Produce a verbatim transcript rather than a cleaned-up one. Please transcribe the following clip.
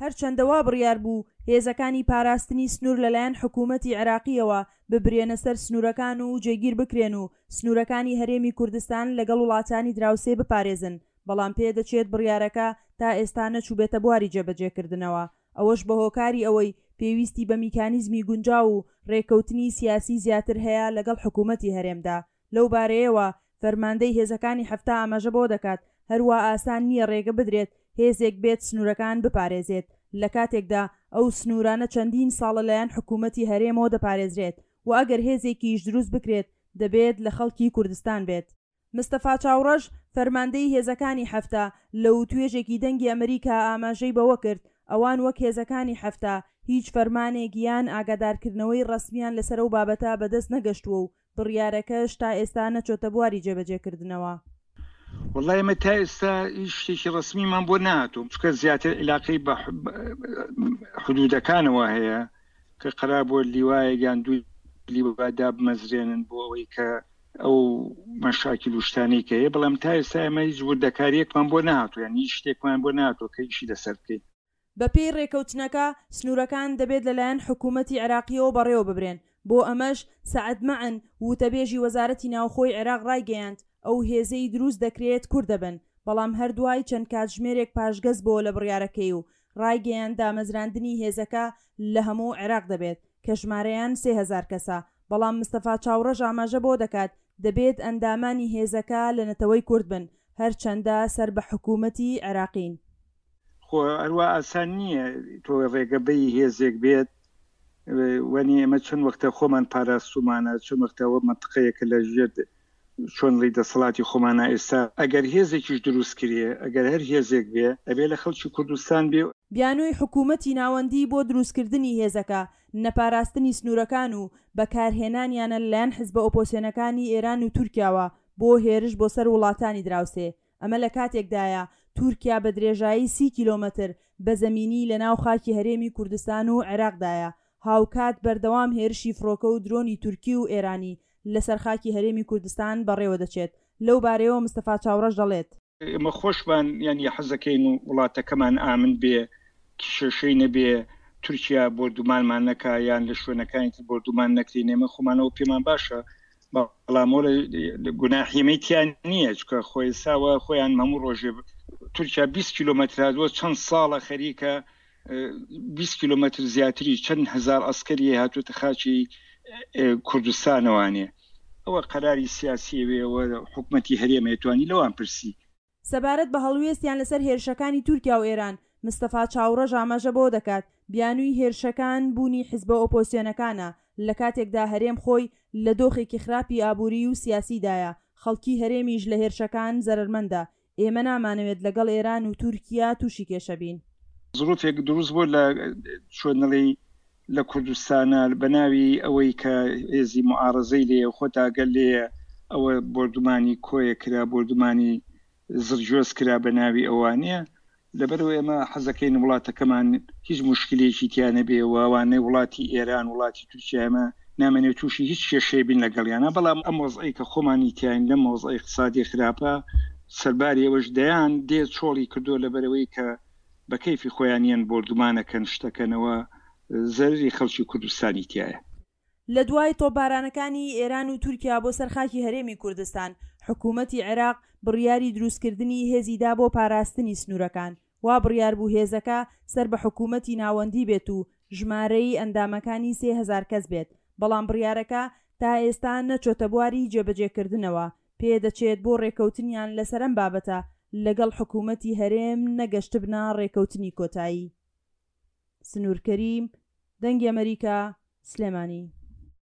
هەرچەندە وا بڕیار بوو هێزەکانی پاراستنی سنوور لەلایەن حکوومەتی عێراقییەوە ببرێنە سەر سنوورەکان و جێگیر بکرێن و سنوورەکانی هەرێمی کوردستان لەگەڵ وڵاتانی دراوسێ بپارێزن، بەڵام پێدەچێت بڕیارەکە تا ئێستا نەچووبێتە بواری جێبەجێکردنەوە، ئەوەش بەهۆکاری ئەوەی پێویستی بە میکانیزمی گونجاو و رێککەوتنی سیاسی زیاتر هەیە لەگەڵ حکوومەتی هەرێمدا. لەو بارەیەوە فەرماندەی هێزەکانی حەفتا ئاماژە بەوە دەکات، هەروا ئاسان نییە رێگە بدرێت هێزێک بێت سنوورەکان بپارێزێت، لە کاتێکدا ئەو سنوورانە چەندین ساڵە لەلایەن حکوومەتی هەرێمەوە دەپارێزرێت و ئەگەر هێزێکیش دروست بکرێت دەبێت لە خەڵکی کوردستان بێت. مستەفا چاوڕەش، فەرماندەی هێزەکانی حەفتا، لە وتوێژێکی دەنگی ئەمریکا ئاماژەی بەوە کرد، ئەوان وەک هێزەکانی حەفتا هیچ فەرمانێک یان ئاگادارکردنەوەی ڕەسمیان لەسەر ئەو بابەتە بەدەست نەگەشتووە و بڕیارەکەش تا ئێستا نەچۆتە بواری جێبەجێکردنەوە. وەڵا ئێمە تا ئێستا هیچ شتێکی ڕەسمیمان بۆ نەهاتوو، چونکە زیاتر عیلاقەی بە حدودەکانەوە هەیە کە قەرار بووە لیوایەک یان دوو لیوا دابمەزرێنن بۆ ئەوەی کە ئەو مەشاکیل و شتانەی کە هەیە، بەڵام تا ئێستا ئێمە هیچ وردەکارییەکمان بۆ نەهاتوو، یان هیچ شتێکمان بۆ نەهاتووە کە ئیشی لەسەر بکەین. بەپێی رێکەوتنەکە، سنوورەکان دەبێت لەلایەن حکوومەتی عێراقییەوە بەڕێوەببرێن، بۆ ئەمەش سەعد مەعن، وتەبێژی وەزارەتی ناوخۆی عێراق رایگەیاند، ئەو هێزەی دروست دەکرێت کورد دەبن، بەڵام هەر دوای چەند کاتژمێرێک پاشگەز بۆوە لە بڕیارەکەی و رایگەیاند دامەزراندنی هێزەکە لە هەموو عێراق دەبێت کە ژمارەیان سێ هەزار کەسە، بەڵام مستەفا چاوڕەش ئاماژە بەوە دەکات دەبێت ئەندامانی هێزەکە لە نەتەوەی کورد بن، هەرچەندە سەر بە حکوومەتی عێراقین. خۆ هەروا ئاسان نییە تۆ ڕێگە بەی هێزێک بێت وەنی ئێمە چەند وەختە خۆمان پاراستومانە، چەند وەختە ئەوە مەنتقەیەکە لە ژێر چۆن ڵی دەسەڵاتی خۆمانە، ئێستا ئەگەر هێزێکیش دروست کرێ، ئەگەر هەر هێزێک بێ ئەبێ لە خەڵکی کوردستان بێ. بیانووی حکوومەتی ناوەندی بۆ دروستکردنی هێزەکە، نەپاراستنی سنوورەکان و بەکارهێنانیانە لەلایەن حزبە ئۆپۆسیۆنەکانی ئێران و تورکیاوە بۆ هێرش بۆ سەر وڵاتانی دراوسێ. ئەمە لە کاتێکدایە تورکیا بە درێژایی سی کیلۆمەتر بە زەمینی لە ناو خاکی هەرێمی کوردستان و عێراقدایە، هاوکات بەردەوام هێرشی فڕۆکە و درۆنی تورکی و ئێرانی لەسەر خاکی هەرێمی کوردستان بەڕێوەدەچێت. لەو بارەیەوە مستەفا چاوڕەش دەڵێت. ئێمە خۆشمان یانی حەزەکەین و وڵاتەکەمان ئامن بێ، کیشەشەی نەبێ، تورکیا بۆردومانمان نەکا یان لە شوێنەکانی تر بۆردومان نەکرین، ئێمە خۆمانەوە پێمان باشە، بەڵام گوناحی ئێمەی تیا نییە، چونکە خۆ ئێستاوە خۆیان هەموو ڕۆژێ تورکیا بیست کیلۆمەتر هاتووە، چەند ساڵە خەریکە بیست کیلۆمەتر زیاتری چەند هەزار ئەسکەری هاتووەتە خاکی کوردستانەوانێ. ئەوە قەراری سیاسیە وێ، ئەوە حکومەتی هەرێمە توانی لەوان پرسی. سەبارەت بە هەڵوێستیان لەسەر هێرشەکانی تورکیا و ئێران، مستەفا چاوڕەش ئاماژە بەوە دەکات، بیانووی هێرشەکان بوونی حزبە ئۆپۆزسیۆنەکانە، لە کاتێکدا هەرێم خۆی لە دۆخێکی خراپی ئابووریی و سیاسیدایە، خەڵکی هەرێمیش لە هێرشەکان زەرەرمەندە، ئێمە نامانەوێت لەگەڵ ئێران و تورکیا تووشی کێشە بین. زروفێک دروست بوو لە چۆنڵی لە کوردستانە بە ناوی ئەوەی کە هێزی معارەزەی لێیە و خۆتا گەل لێیە، ئەوە بۆردومانی کۆیە کرا، بۆردومانی زڕگوێز کرا بە ناوی ئەوانە. لەبەرئەوە ئێمە حەزەکەین وڵاتەکەمان هیچ موشکلەیەکی تیا نەبێ و ئەوانەی وڵاتی ئێران وڵاتی تورکیا ئێمە نامەنێ تووشی هیچ کێشەیە بین لەگەڵیانە، بەڵام ئەم وەزعەی کە خۆمانی تیاین لەم وەزعە ئیقتسادی خراپە، سەرباری ئەوەش دەیان دێ چۆڵی کردووە لەبەرئەوەی کە بە کەیفی خۆیان یەن بۆردومانەکەن شتەکەنەوە زەرری خەڵکی کوردستانی تیایە. لە دوای تۆپبارانەکانی ئێران و تورکیا بۆ سەر خاکی هەرێمی کوردستان، حکوومەتی عێراق بڕیاری دروستکردنی هێزی دا بۆ پاراستنی سنوورەکان. وا بڕیار بوو هێزەکە سەر بە حکوومەتی ناوەندی بێت و ژمارەی ئەندامەکانی سێ هەزار کەس بێت، بەڵام بڕیارەکە تا ئێستا نەچۆتە بواری جێبەجێکردنەوە، پێدەچێت بۆ رێکەوتنیان لەسەر ئەم بابەتە لەگەڵ حکوومەتی هەرێم نەگەشتبنە رێکەوتنی کۆتایی. سنوور کەریم، دەنگی ئەمەریکا، سلێمانی.